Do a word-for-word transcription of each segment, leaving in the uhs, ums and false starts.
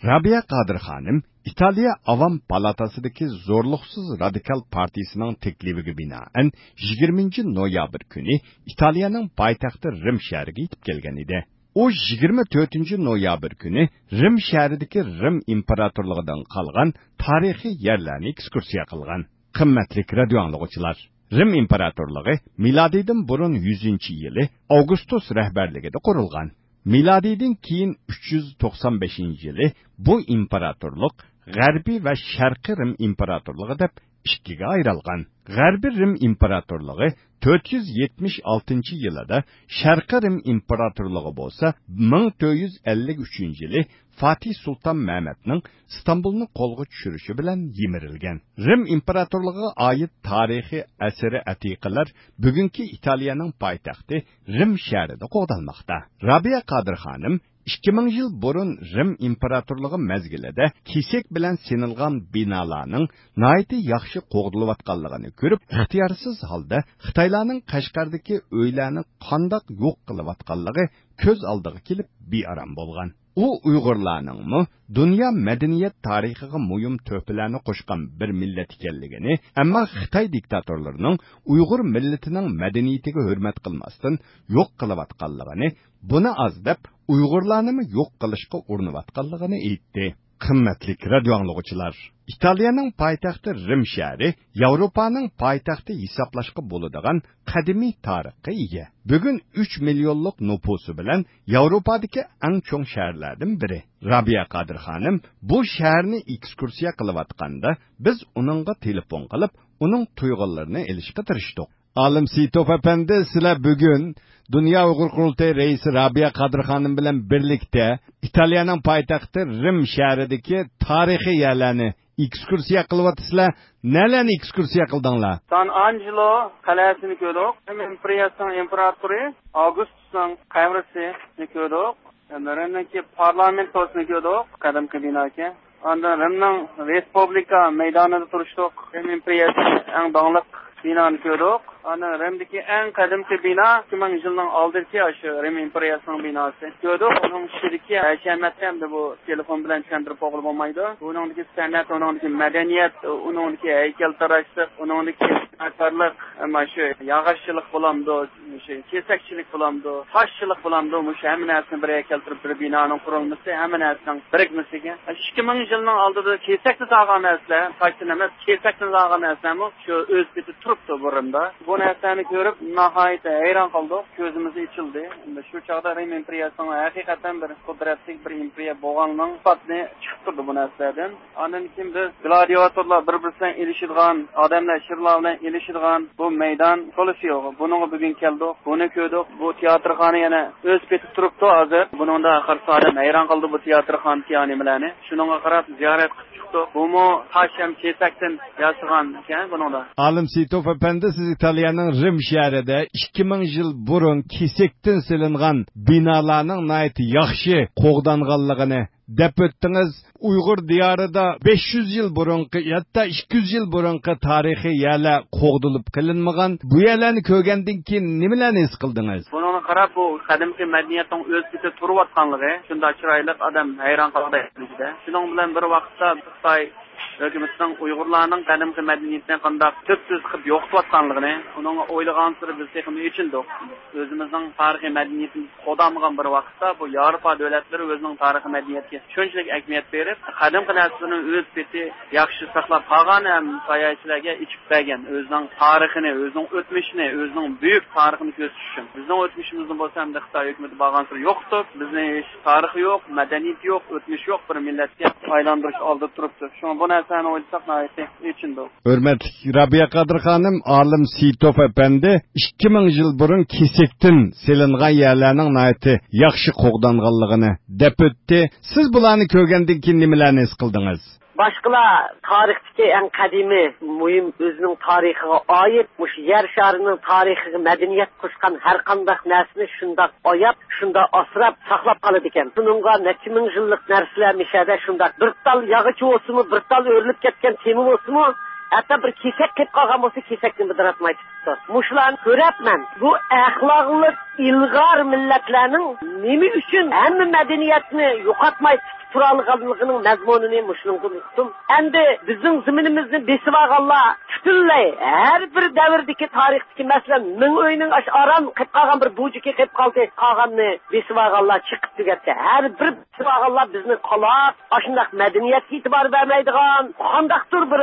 رابىيە قادىر خانىم ئىتالىيە ئاۋام پالاتاسىدىكى زورلۇقسىز رادىكال پارتىيىسىنىڭ تەكلىپىگە بىنائەن، يىگىرمىنچى نويابىر كۈنى ئىتالىيەنىڭ پايتەختى رىم شەھىرىگە يېتىپ كەلگەن ئىدى. ئۇ يىگىرمە تۆتىنچى نويابىر كۈنى رىم شەھىرىدىكى رىم ئىمپېراتورلۇقىدىن قالغان تارىخىي يەرلەرنى ئېكسكۇرسىيە قىلغان. قىممەتلىك رادىيو ئاڭلىغۇچىلار، رىم ئىمپېراتورلۇقى مىلادىيدىن بۇرۇن يۈزىنچى يىلى ئاۋگۇستۇس رەھبەرلىكىدە قۇرۇلغان. مىلادىيدىن كېيىن ئۈچ يۈز توقسان بەشىنچى يىلى بۇ ئىمپېراتورلۇق غەربىي ۋە شەرقىي رىم ئىمپېراتورلۇقى دەپ ئىككىگە ئايرىلغان. غەربىي رىم ئىمپېراتورلۇقى تۆت يۈز يەتمىش ئالتىنچى يىلىدا شەرقىي رىم ئىمپېراتورلۇقى بولسا مىڭ تۆت يۈز ئەللىك ئۈچىنچى يىلى فاتىھ سۇلتان مەمەتنىڭ ئىستانبۇلنى قولغا چۈشۈرۈشى بىلەن يىمىرىلگەن. رىم ئىمپېراتورلۇقىغا ئائىت تارىخىي ئەسىرى ئەتىقىلەر بۈگۈنكى ئىتالىيەنىڭ پايتەختى رىم شەھىرىدە قوغدالماقتا. رابىيە قادىر خانىم ئىككى مىڭ يىل بۇرۇن رىم ئىمپېراتورلۇقى مەزگىلىدە كېسەك بىلەن سېلىنغان بىنالارنىڭ ناھايىتى ياخشى قوغدىلىۋاتقانلىقىنى كۆرۈپ، ئىختىيارسىز ھالدا خىتايلارنىڭ قەشقەردىكى ئۆيلەرنى قانداق يوق قىلىۋاتقانلىقى كۆز ئالدىغا كېلىپ بىئارام بولغان. ئۇ ئۇيغۇرلارنىڭمۇ دۇنيا مەدەنىيەت تارىخىغا مۇھىم تۆھپىلەرنى قوشقان بىر مىللەت ئىكەنلىكىنى، ئەمما خىتاي دىكتاتورلىرىنىڭ ئۇيغۇر مىللىتىنىڭ مەدەنىيىتىگە ھۆرمەت قىلماستىن يوق قىلىۋاتقانلىقىنى، بۇنى ئاز دەپ، ئۇيغۇرلارنىمۇ يوق قىلىشقا ئۇرۇنۇۋاتقانلىقىنى ئېيتتى. قىممەتلىك رادىيو ئاڭلىغۇچىلار، ئىتالىيەنىڭ پايتەختى رىم شەھىرى ياۋروپانىڭ پايتەختى ھېسابلاشقا بولىدىغان قەدىمىي تارىخقا ئىگە. بۈگۈن ئۈچ مىليونلۇق نوپۇسى بىلەن ياۋروپادىكى ئەڭ چوڭ شەھەرلەردىن بىرى. رابىيە قادىر خانىم بۇ شەھەرنى ئېكسكۇرسىيە قىلىۋاتقاندا، بىز ئۇنىڭغا تېلېفون قىلىپ، ئۇنىڭ تۇيغۇلىرىنى ئېلىشقا تىرىشتۇق. ئالىم سېيىتوف ئەپەندى، سىلەر بۈگۈن دۇنيا ئۇيغۇر قۇرۇلتىيى رەئىسى رابىيە قادىر خانىم بىلەن بىرلىكتە ئىتالىيەنىڭ پايتەختى رىم شەھىرىدىكى تارىخىي يەرلەرنى ئېكسكۇرسىيە قىلىۋاتىسىلەر. نەلەرنى ئېكسكۇرسىيە قىلدىڭلار؟ سان ئانجېلو قەلئەسىنى كۆردۇق. رىم ئىمپېرىيەسىنىڭ ئىمپېراتورى ئاۋگۇستۇسنىڭ قەبرىسىنى كۆردۇق. رىمنىڭكى پارلامېنتوسىنى كۆردۇق، قەدىمكى بىناكەن. ئاندىن رىمنىڭ رېسپۇبلىكا مەيدانىدا تۇرۇشتۇق. رىم ئىمپېرىيەسىنىڭ ئەڭ داڭلىق بىنانى كۆردۇق. ئاندىن رىمدىكى ئەڭ قەدىمكى بىنا، ئىككى مىڭ يىلنىڭ ئالدىدىكى ئاشۇ رىم ئىمپېرىيەسىنىڭ بىناسى. كۆردۇق، ئۇنىڭ ئىچىدىكى ھەشەمەتنى ئەمدى بۇ تېلېفون بىلەن چۈشەندۈرۈپ بولغىلى بولمايدۇ. ئۇنىڭدىكى سەنئەت، ئۇنىڭدىكى مەدەنىيەت، ئۇنىڭدىكى ھەيكەلتىراشلىق، ئۇنىڭدىكى بىناكارلىق، مانا شۇ ياغاچچىلىق بولامدۇ، شۇ كېسەكچىلىك بولامدۇ، تاشچىلىق بولامدۇ، مۇشۇ ھەممە نەرسىنى بىر يەرگە كەلتۈرۈپ، بىر بىنانىڭ قۇرۇلمىسى، ھەممە نەرسىنىڭ بىرىكمىسىگە. ئىككى مىڭ يىلنىڭ ئالدىدا كېسەكتە سالغان نەرسىلەر، تاشتىن ئەمەس، كېسەكتىن سالغان نەرسىلەرمۇ شۇ ئۆز پېتى تۇرۇپتۇ بۇرۇندا. بۇ نەرسىلەرنى كۆرۈپ ناھايىتى ھەيران قالدۇق، كۆزىمىز ئېچىلدى. ئەمدى شۇ چاغدا رىم ئىمپېرىيەسىنىڭ ھەقىقەتەن بىر قۇدرەتلىك بىر ئىمپېرىيە بولغانلىقىنىڭ ئىسپاتىنى چىقىپ تۇرىدۇ بۇ نەرسىلەردىن. ئاندىن كېيىن بىز گلادىئاتورلار بىر-بىرسى بىلەن ئېلىشىدىغان، ئادەملەر شىرلار بىلەن ئېلىشىدىغان بۇ مەيدان كولوسېئو. بۇنىڭغا بۈگۈن كەلدۇق، بۇنى كۆردۇق. بۇ تىياتىرخانا يەنە ئۆز پېتى تۇرۇپتۇ ھازىر. بۇنىڭدا قارىسا ئادەم ھەيران قالىدۇ بۇ تىياتىرخانىدىكى نېمىلەرنى. شۇنىڭغا قاراپ زىيارەت قىلىپ چىقتۇق. بۇمۇ تاش ھەم كېسەكتىن ياسىغان ئىكەن بۇنىڭدا. ئالىم سېيىتوف ئەپەندى، سىز ئىتالىيەنىڭ رىم شەھىرىدە ئىككى مىڭ يىل بۇرۇن كېسەكتىن سېلىنغان بىنالارنىڭ ناھايىتى ياخشى قوغدانغانلىقىنى دەپ ئۆتتىڭىز. ئۇيغۇر دىيارىدا بەش يۈز يىل بۇرۇنقى، ھەتتا ئىككى يۈز يىل بۇرۇنقى تارىخىي يەرلەر قوغدىلىپ قېلىنمىغان. بۇ يەرلەرنى كۆرگەندىن كېيىن نېمىلەرنى ھېس قىلدىڭىز؟ بۇنىڭدىن قاراپ، بۇ قەدىمكى مەدەنىيەتنىڭ ئۆز پېتى تۇرۇۋاتقانلىقى شۇنداق چىرايلىق، ئادەم ھەيران قالغۇدەك دەرىجىدە. شۇنىڭ بىلەن بىر ۋاقىتتا خىتاي ھۆكۈمىتىنىڭ ئۇيغۇرلارنىڭ قەدىمكى مەدەنىيىتىنى قانداق تۈپسىز قىلىپ يوقىتىۋاتقانلىقىنى، ئۇنىڭغا ئويلىغانسېرى بىز تېخىمۇ ئېچىندۇق. ئۆزىمىزنىڭ تارىخىي مەدەنىيىتىمىز قوغدالمىغان بىر ۋاقىتتا، بۇ ياۋروپا دۆلەتلىرى ئۆزىنىڭ تارىخىي مەدەنىيىتىگە شۇنچىلىك ئەھمىيەت بېرىپ، قەدىمكى نەرسىلىرىنى ئۆز پېتى ياخشى ساقلاپ قالغان ھەم ساياھەتچىلەرگە ئېچىپ بەرگەن، ئۆزىنىڭ تارىخىنى، ئۆزىنىڭ ئۆتمۈشىنى، ئۆزىنىڭ بۈيۈك تارىخىنى كۆرسىتىش ئۈچۈن. بىزنىڭ ئۆتمۈشىمىزنى بولسا ئەمدى خىتاي ھۆكۈمىتى بارغانسېرى يوقىتىپ، بىزنى ھېچ تارىخى يوق، مەدەنىيىتى يوق، ئۆتمۈشى يوق بىر مىللەتكە ئايلاندۇرۇش ئالدىدا تۇرۇپتۇ. شۇڭا بۇ نەرسىلەرنى ئويلىساق ناھايىتى ئېچىندۇق. ھۆرمەتلىك رابىيە قادىر خانىم، ئالىم سېيىتوف ئەپەندى ئىككى مىڭ يىل بۇرۇن كېسەكتىن سېلىنغان يەرلەرنىڭ ناھايىتى ياخشى قوغدانغانلىقىنى دەپ ئۆتتى. سىز بۇلارنى كۆرگەندىن كېيىن نېمىلەرنى ھېس قىلدىڭىز؟ باشقىلار تارىختىكى ئەڭ قەدىمىي، مۇھىم، ئۆزىنىڭ تارىخىغا ئائىت، مۇشۇ يەر شارىنىڭ تارىخىغا مەدەنىيەت قوشقان ھەر قانداق نەرسىنى شۇنداق ئاياپ، شۇنداق ئاسراپ ساقلاپ قالىدىكەن. شۇنىڭغا نەچچە مىڭ يىللىق نەرسىلەر مىشەدە شۇنداق بىر تال ياغىچى بولسىمۇ، بىر تال ئۆرۈلۈپ كەتكەن تېمى بولسىمۇ، ھەتتا بىر كېسەك قېلىپ قالغان بولسا، كېسەكنى بىدىراتماي تۇتۇپتۇ. مۇشۇلارنى كۆرۈپ مەن بۇ ئەخلاقلىق ئىلغار مىللەتلەرنىڭ نېمە ئۈچۈن ھەممە مەدەنىيەتنى يوقاتماي تۇتۇپ تۇرالىغانلىقىنىڭ مەزمۇنىنى مۇشۇنىڭدىن ئۇقتۇم. ئەمدى بىزنىڭ زېمىنىمىزنى بېسىۋالغانلار پۈتۈنلەي ھەر بىر دەۋردىكى تارىختىكى، مەسىلەن، مىڭ ئۆينىڭ ئاشۇ ئاران قېلىپ قالغان بىر بۇجىكى قېلىپ قالدى، قالغاننى بېسىۋالغانلار چېقىپ تۈگەتتى. ھەر بىر بېسىۋالغانلار بىزنى قالاپ، ئاشۇنداق مەدەنىيەتكە ئېتىبار بەرمەيدىغان، قانداقتۇر بىر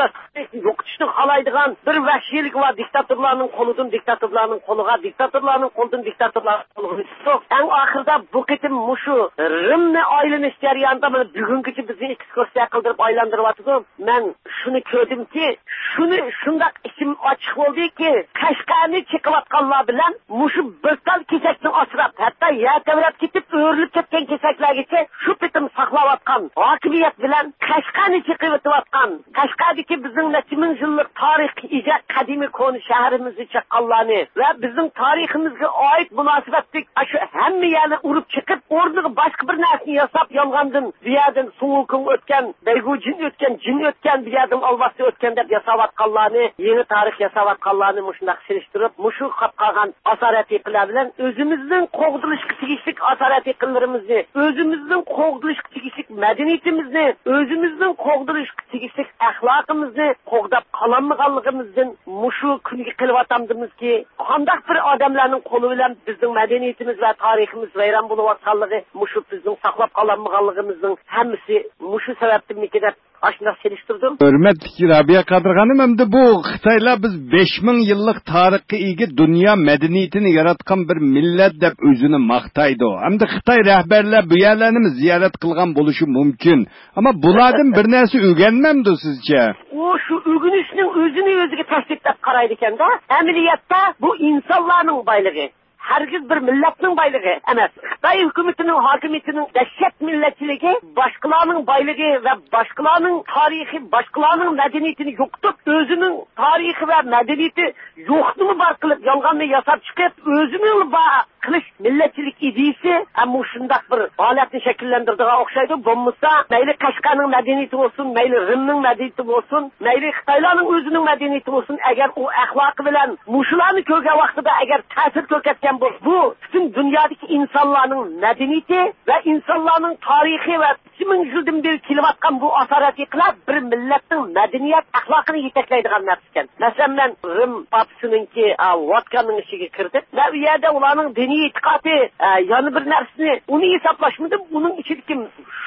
يوقىتىشنى خالايدىغان بىر ۋەھشىيلىك ۋە دىكتاتورلارنىڭ قولىدىن دىكتاتورلارنىڭ قولىغا، دىكتاتورلارنىڭ قولىدىن دىكتاتورلارنىڭ قولىغا ئۆتتۇق. ئەڭ ئاخىرىدا بۇ قېتىم مۇشۇ رىمنى ئايلىنىش جەريانىدا مانا بۈگۈنگىچە بىزنى ئېكسكۇرسىيە قىلدۇرۇپ ئايلاندۇرۇۋاتىدۇ. مەن شۇنى كۆردۈمكى، شۇنى شۇنداق ئىچىم ئاچچىق بولدىكى، قەشقەرنى چېقىۋاتقانلار بىلەن مۇشۇ بىر تال كېسەكنى ئاسراپ، ھەتتا يەر تەۋرەپ كېتىپ ئۆرۈلۈپ كەتكەن كېسەكلەرگىچە شۇ پېتىم ساقلاۋاتقان ھاكىمىيەت بىلەن قەشقەرنى چېقىۋېتىۋاتقان، قەشقەردىكى بىزنىڭ نەچچە مىڭ يىللىق تارىخقا ئىگە قەدىمىي كونا شەھىرىمىزنى چاققانلارنى ۋە بىزنىڭ تارىخىمىزغا ئائىت مۇناسىۋەتلىك ئاشۇ ھەممە يەرنى ئۇرۇپ چېقىپ، ئورنىغا باشقا بىر نەرسىنى ياساپ، يالغاندىن بۇ يەردىن سۇڭ ۋۇكۇڭ ئۆتكەن، بەيگۇجىن ئۆتكەن، جىن ئۆتكەن، بۇ يەردىن ئالۋاستى ئۆتكەن دەپ ياساۋاتقانلارنى، يېڭى تارىخ ياساۋاتقانلارنى مۇشۇنداق سېلىشتۇرۇپ، مۇشۇ قاپ قالغان ئاسارئەتىقىلەر بىلەن ئۆزىمىزنىڭ قوغدىلىشقا تېگىشلىك ئاسارئەتىقىلىرىمىزنى، ئۆزىمىزنىڭ قوغدىلىشقا تېگىشلىك مەدەنىيىتىمىزنى، ئۆزىمىزنىڭ قوغدىلىشقا تېگىشلىك ئەخلاقىمىزنى قوغداپ قالالمىغانلىقىمىزدىن مۇشۇ كۈنگە قېلىۋاتامدىمىزكى، قانداق بىر ئادەملەرنىڭ قولى بىلەن بىزنىڭ مەدەنىيىتىمىز ۋە تارىخىمىز ۋەيران بولۇۋاتقانلىقى، مۇشۇ بىزنىڭ ساقلاپ قالالمىغانلىقىمىزنىڭ ھەممىسى مۇشۇ سەۋەبتىنمىكىن دەپ ئاشۇنداق سېلىشتۇردۇم. ھۆرمەتلىك رابىيە قادىر خانىم، ئەمدى بۇ خىتايلار بىز بەش مىڭ يىللىق تارىخقا ئىگە دۇنيا مەدەنىيىتىنى ياراتقان بىر مىللەت دەپ ئۆزىنى ماختايدۇ. ئەمدى خىتاي رەھبەرلەر بۇ يەرلەرنىمۇ زىيارەت قىلغان بولۇشى مۇمكىن. ئەمما بۇلاردىن بىر نەرسە ئۆگەنمەمدۇ سىزچە؟ ئۇ شۇ ئۆگىنىشنىڭ ئۆزىنى ئۆزىگە تەسلىپ دەپ قارايدىكەن-دە. ئەمەلىيەتتە بۇ ئىنسانلارنىڭ بايلىقى. ھەرگىز بىر مىللەتنىڭ بايلىقى ئەمەس. خىتاي ھۆكۈمىتىنىڭ ھاكىمىيىتىنىڭ دەھشەت مىللەتچىلىكى باشقىلارنىڭ بايلىقى ۋە باشقىلارنىڭ تارىخى، باشقىلارنىڭ مەدەنىيىتىنى يوقىتىپ، ئۆزىنىڭ تارىخى ۋە مەدەنىيىتى يوقنىمۇ بار قىلىپ، يالغاننى ياساپ چىقىپ، ئۆزىنىڭ بار قىلىش مىللەتچىلىك ئىدىيىسى ھەم مۇشۇنداق بىر ھالەتنى شەكىللەندۈرىدىغان ئوخشايدۇ. بولمىسا، مەيلى قەشقەرنىڭ مەدەنىيىتى بولسۇن، مەيلى رىمنىڭ مەدەنىيىتى بولسۇن، مەيلى خىتايلارنىڭ ئۆزىنىڭ مەدەنىيىتى بولسۇن، ئەگەر ئۇ ئەخلاقى بىلەن مۇشۇلارنى كۆرگەن ۋاقتىدا ئەگەر تەسىر كۆرسەتكەن بولسا، بۇ پۈتۈن دۇنيادىكى ئىنسانلارنىڭ مەدەنىيىتى ۋە ئىنسانلارنىڭ تارىخى ۋە نەچچە مىڭ يىلدىن بېرى كېلىۋاتقان بۇ ئاسارئەتىقىلەر بىر مىللەتنىڭ مەدەنىيەت ئەخلاقىنى يېتەكلەيدىغان نەرسە ئىكەن. مەسىلەن، مەن رىم پاپىسىنىڭكى، ئا، ۋاتىكاننىڭ ئىچىگە كىردىم ۋە ئۇ يەردە ئۇلارنىڭ دىنىي ئېتىقادى، ئا، يەنە بىر نەرسىنى، ئۇنى ھېسابلاشمىدىم. ئۇنىڭ ئىچىدىكى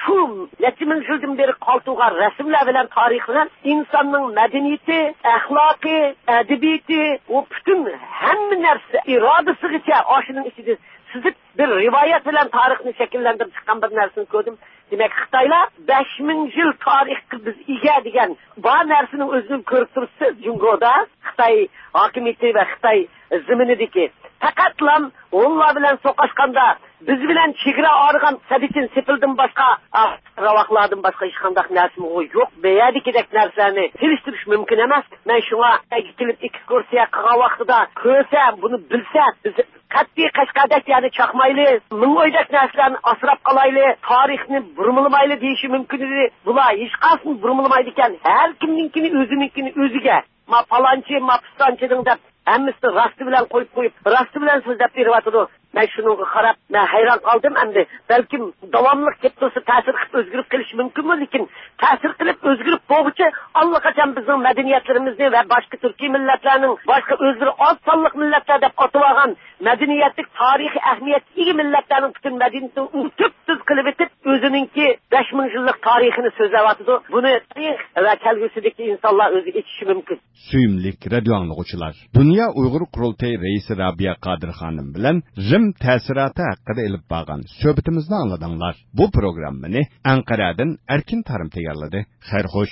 شۇ نەچچە مىڭ يىلدىن بېرى قالدۇرغان رەسىملەر بىلەن، تارىخ بىلەن ئىنساننىڭ مەدەنىيىتى، ئەخلاقى، ئەدەبىياتى، ئۇ پۈتۈن ھەممە نەرسە ئىرادىسىغىچە ئاشۇنىڭ ئىچىدە سىزىپ بىر رىۋايەت بىلەن تارىخنى شەكىللەندۈرۈپ چىققان بىر نەرسىنى كۆردۈم. دېمەك، خىتايلار بەش مىڭ يىل تارىخقا بىز ئىگە دېگەن بار نەرسىنىڭ ئۆزىنى كۆرۈپ تۇرۇپسىز جۇڭگودا. خىتاي ھاكىمىيىتى ۋە خىتاي زېمىنىدىكى پەقەتلا ھونلار بىلەن سوقۇشقاندا بىز بىلەن چېگرا ئايرىغان سەددىچىن سېپىلدىن باشقا، ئا، راۋاقلاردىن باشقا ھېچقانداق نەرسىمۇ يوق. بۇ يەردىكىدەك نەرسىلەرنى سېلىشتۇرۇش مۇمكىن ئەمەس. مەن شۇڭا خىتايغا كېلىپ ئېكسكۇرسىيە قىلغان ۋاقتىدا كۆرسە، بۇنى بىلسە، بىز قەتئىي قەشقەردەك يەرنى چاقمايلى، مىڭ ئۆيدەك نەرسىلەرنى ئاسراپ قالايلى، تارىخنى بۇرمىلىمايلى دېيىشى مۇمكىن ئىدى. بۇلار ھېچقايسىسىنى بۇرمىلىمايدىكەن. ھەر كىمنىڭكىنى ئۆزىنىڭكىنى ئۆزىگە، ما پالانچى، ما پىستانچىنىڭ دەپ ھەممىسىنى راستى بىلەن قويۇپ قويۇپ، راستى بىلەن سۆزلەپ بېرىۋاتىدۇ. مەن شۇنىڭغا قاراپ، مەن ھەيران قالدىم ئەمدى. بەلكىم داۋاملىق كېلىپ تۇرسا تەسىر قىلىپ ئۆزگىرىپ قېلىشى مۇمكىنمۇ؟ لېكىن تەسىر قىلىپ ئۆزگىرىپ بولغۇچە ئاللىقاچان بىزنىڭ مەدەنىيەتلىرىمىزنى ۋە باشقا تۈركىي مىللەتلەرنىڭ، باشقا ئۆزلىرى ئاز سانلىق مىللەتلەر دەپ ئاتىۋالغان مەدەنىيەتلىك تارىخىي ئەھمىيەتكە ئىگە مىللەتلەرنىڭ پۈتۈن مەدەنىيىتىنى ئۇنتۇپ تۇز قىلىۋېتىپ، ئۆزىنىڭكى بەش مىڭ يىللىق تارىخىنى سۆزلەۋاتىدۇ. بۇنى تارىخ ۋە كەلگۈسىدىكى ئىنسانلار ئۆزى ئېچىشى مۇمكىن. سۆيۈملۈك رادىيو ئاڭلىغۇچىلار، دۇنيا ئۇيغۇر قۇرۇلتىيى رەئىسى رابىيە قادىر خانىم بىلەن رىم تەسىراتى ھەققىدە ئېلىپ بارغان سۆھبىتىمىزنى ئاڭلىدىڭلار. بۇ پروگراممىنى ئەنقەرەدىن ئەركىن تارىم تەييارلىدى. خەير خوش.